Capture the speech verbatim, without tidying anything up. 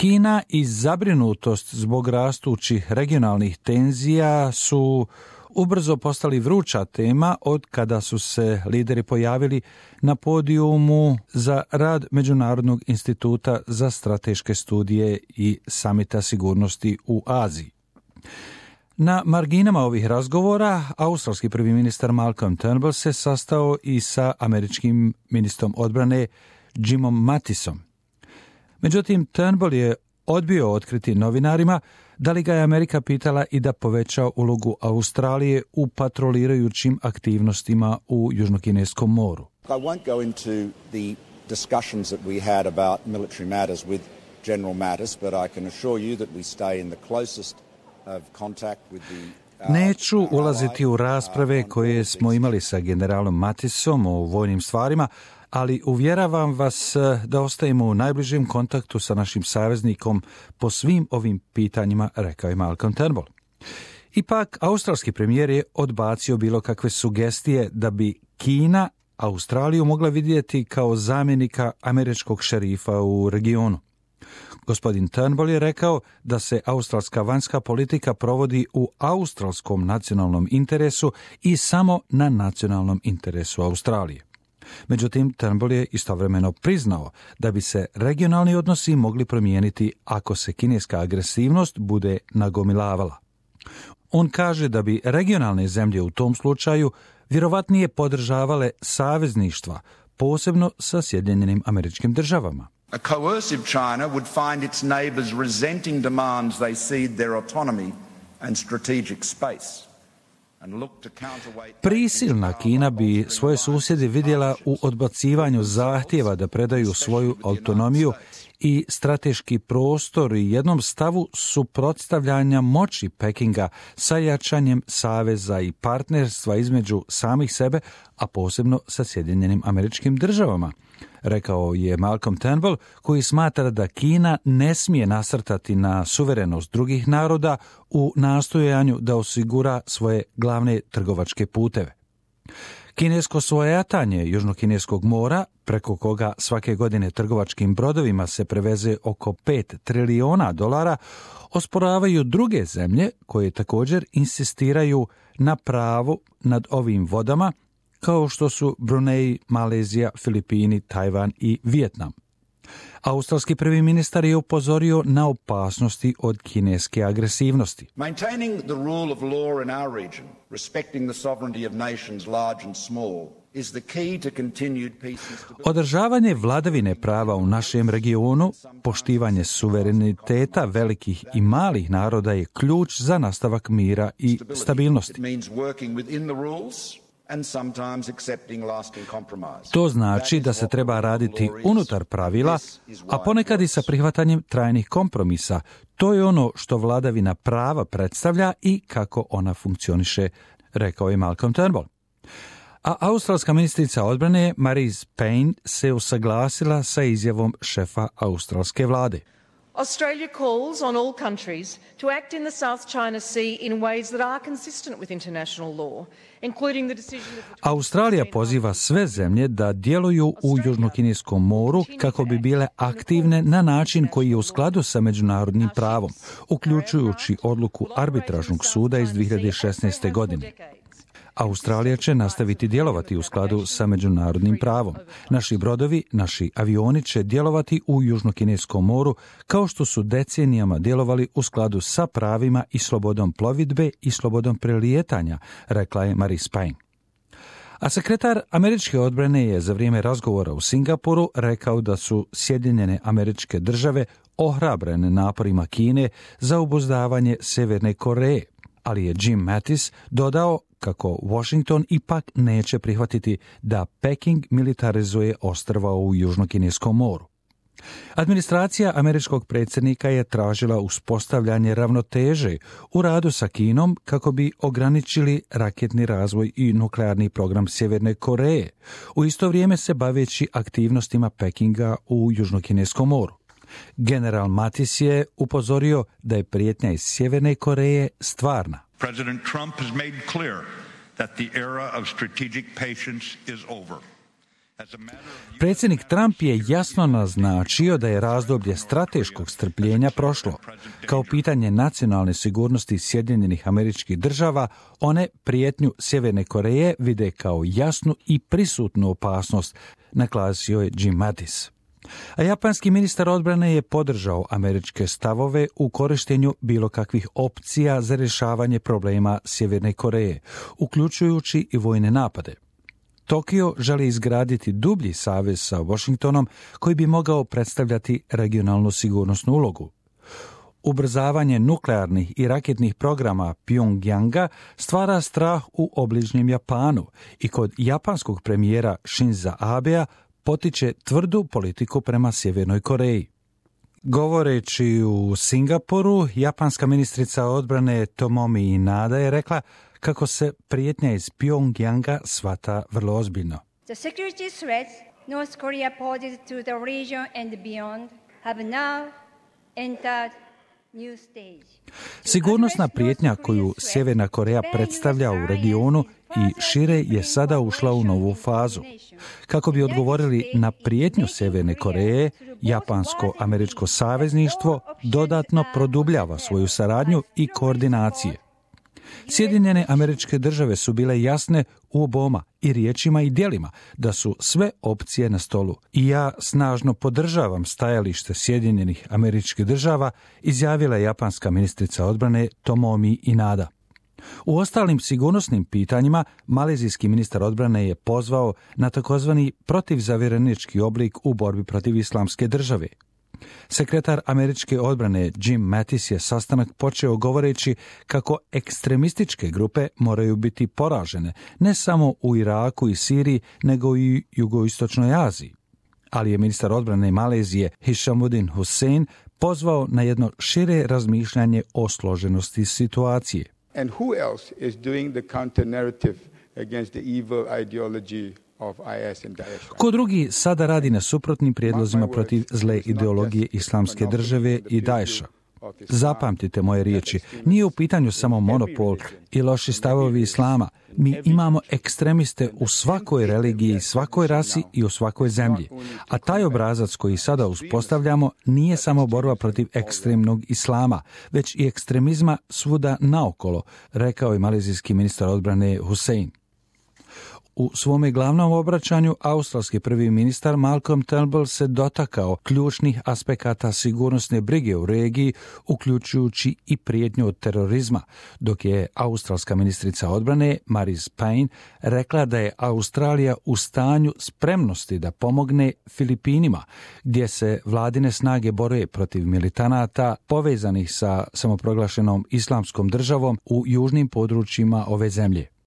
Kina i zabrinutost zbog rastućih regionalnih tenzija su ubrzo postali vruća tema od kada su se lideri pojavili na podijumu za rad Međunarodnog instituta za strateške studije i samita sigurnosti u Aziji. Na marginama ovih razgovora australski prvi ministar Malcolm Turnbull se sastao i sa američkim ministrom odbrane Jimom Mattisom. Međutim, Turnbull je odbio otkriti novinarima da li ga je Amerika pitala i da poveća ulogu Australije u patrolirajućim aktivnostima u Južnokineskom moru. I won't go into the discussions that we had about military matters with General Mattis, but I can assure you that we stay in the closest of contact with the Neću ulaziti u rasprave koje smo imali sa generalom Mattisom o vojnim stvarima, ali uvjeravam vas da ostajemo u najbližem kontaktu sa našim saveznikom po svim ovim pitanjima, rekao je Malcolm Turnbull. Ipak, australski premijer je odbacio bilo kakve sugestije da bi Kina Australiju mogla vidjeti kao zamjenika američkog šerifa u regionu. Gospodin Turnbull je rekao da se australska vanjska politika provodi u australskom nacionalnom interesu i samo na nacionalnom interesu Australije. Međutim, Turnbull je istovremeno priznao da bi se regionalni odnosi mogli promijeniti ako se kineska agresivnost bude nagomilavala. On kaže da bi regionalne zemlje u tom slučaju vjerovatnije podržavale savezništva, posebno sa Sjedinjenim Američkim Državama. A coercive China would find its neighbours resenting demands they cede their autonomy and strategic space. Prisilna Kina bi svoje susjede vidjela u odbacivanju zahtjeva da predaju svoju autonomiju i strateški prostor i jednom stavu suprotstavljanja moći Pekinga sa jačanjem saveza i partnerstva između samih sebe, a posebno sa Sjedinjenim Američkim Državama, rekao je Malcolm Turnbull, koji smatra da Kina ne smije nasrtati na suverenost drugih naroda u nastojanju da osigura svoje glavne trgovačke puteve. Kinesko svojatanje Južnokineskog mora, preko koga svake godine trgovačkim brodovima se preveze oko pet trilijona dolara, osporavaju druge zemlje koje također insistiraju na pravu nad ovim vodama, kao što su Brunei, Malezija, Filipini, Tajvan i Vijetnam. Australski prvi ministar je upozorio na opasnosti od kineske agresivnosti. Maintaining the rule of law in our region, respecting the sovereignty of nations large and small, is the key to continued peace and stability. Održavanje vladavine prava u našem regionu, poštivanje suvereniteta velikih i malih naroda je ključ za nastavak mira i stabilnosti. It means working within the rules and sometimes accepting lasting compromise. To znači da se treba raditi unutar pravila, a ponekad i sa prihvatanjem trajnih kompromisa. To je ono što vladavina prava predstavlja i kako ona funkcioniše, rekao je Malcolm Turnbull. A australska ministrica odbrane Marise Payne se usaglasila sa izjavom šefa australske vlade. Australia calls on all countries to act in the South China Sea in ways that are consistent with international law, including the decision of... Australija poziva sve zemlje da djeluju u Južnokineskom moru kako bi bile aktivne na način koji je u skladu sa međunarodnim pravom, uključujući odluku arbitražnog suda iz dvije hiljade šesnaeste. godine. Australija će nastaviti djelovati u skladu sa međunarodnim pravom. Naši brodovi, naši avioni će djelovati u Južnokineskom moru kao što su decenijama djelovali u skladu sa pravima i slobodom plovidbe i slobodom prelijetanja, rekla je Marise Payne. A sekretar američke odbrane je za vrijeme razgovora u Singapuru rekao da su Sjedinjene Američke Države ohrabrene naporima Kine za obuzdavanje Sjeverne Koreje, ali je Jim Mattis dodao kako Washington ipak neće prihvatiti da Peking militarizuje ostrva u Južnokineskom moru. Administracija američkog predsjednika je tražila uspostavljanje ravnoteže u radu sa Kinom kako bi ograničili raketni razvoj i nuklearni program Sjeverne Koreje, u isto vrijeme se baveći aktivnostima Pekinga u Južnokineskom moru. General Mattis je upozorio da je prijetnja iz Sjeverne Koreje stvarna. President Trump has made clear that the era of strategic patience is over. Predsjednik Trump je jasno naznačio da je razdoblje strateškog strpljenja prošlo. Kao pitanje nacionalne sigurnosti Sjedinjenih Američkih Država, one prijetnju Sjeverne Koreje vide kao jasnu i prisutnu opasnost, naglasio je Jim Mattis. A japanski ministar odbrane je podržao američke stavove u korištenju bilo kakvih opcija za rješavanje problema Sjeverne Koreje, uključujući i vojne napade. Tokio želi izgraditi dublji savez sa Washingtonom koji bi mogao predstavljati regionalnu sigurnosnu ulogu. Ubrzavanje nuklearnih i raketnih programa Pyongyanga stvara strah u obližnjem Japanu i kod japanskog premijera Shinza Abea potiče tvrdu politiku prema Sjevernoj Koreji. Govoreći u Singapuru, japanska ministrica odbrane Tomomi Inada je rekla kako se prijetnja iz Pyongyanga shvata vrlo ozbiljno. The security threats North Korea poses to the region and beyond have now entered new stage. Sigurnosna prijetnja koju Sjeverna Koreja predstavlja u regionu i šire je sada ušla u novu fazu. Kako bi odgovorili na prijetnju Sjeverne Koreje, japansko-američko savezništvo dodatno produbljava svoju saradnju i koordinacije. Sjedinjene Američke Države su bile jasne u oboma i riječima i djelima da su sve opcije na stolu. I ja snažno podržavam stajalište Sjedinjenih Američkih Država, izjavila je japanska ministrica odbrane Tomomi Inada. U ostalim sigurnosnim pitanjima malezijski ministar odbrane je pozvao na takozvani protivzavjerenički oblik u borbi protiv Islamske države. Sekretar američke odbrane Jim Mattis je sastanak počeo govoreći kako ekstremističke grupe moraju biti poražene ne samo u Iraku i Siriji, nego i jugoistočnoj Aziji. Ali je ministar odbrane Malezije Hishamuddin Hussein pozvao na jedno šire razmišljanje o složenosti situacije. And who else is doing the counter narrative against the evil ideology of I S and Daesh? Ko drugi sada radi na suprotnim prijedlozima protiv zle ideologije Islamske države i Daesha? Zapamtite moje riječi, nije u pitanju samo monopol i loši stavovi islama. Mi imamo ekstremiste u svakoj religiji, svakoj rasi i u svakoj zemlji. A taj obrazac koji sada uspostavljamo nije samo borba protiv ekstremnog islama, već i ekstremizma svuda naokolo, rekao je malezijski ministar odbrane Hussein. U svome glavnom obraćanju australski prvi ministar Malcolm Turnbull se dotakao ključnih aspekata sigurnosne brige u regiji, uključujući i prijetnju od terorizma, dok je australska ministrica odbrane Marise Payne rekla da je Australija u stanju spremnosti da pomogne Filipinima, gdje se vladine snage bore protiv militanata povezanih sa samoproglašenom Islamskom državom u južnim područjima ove zemlje.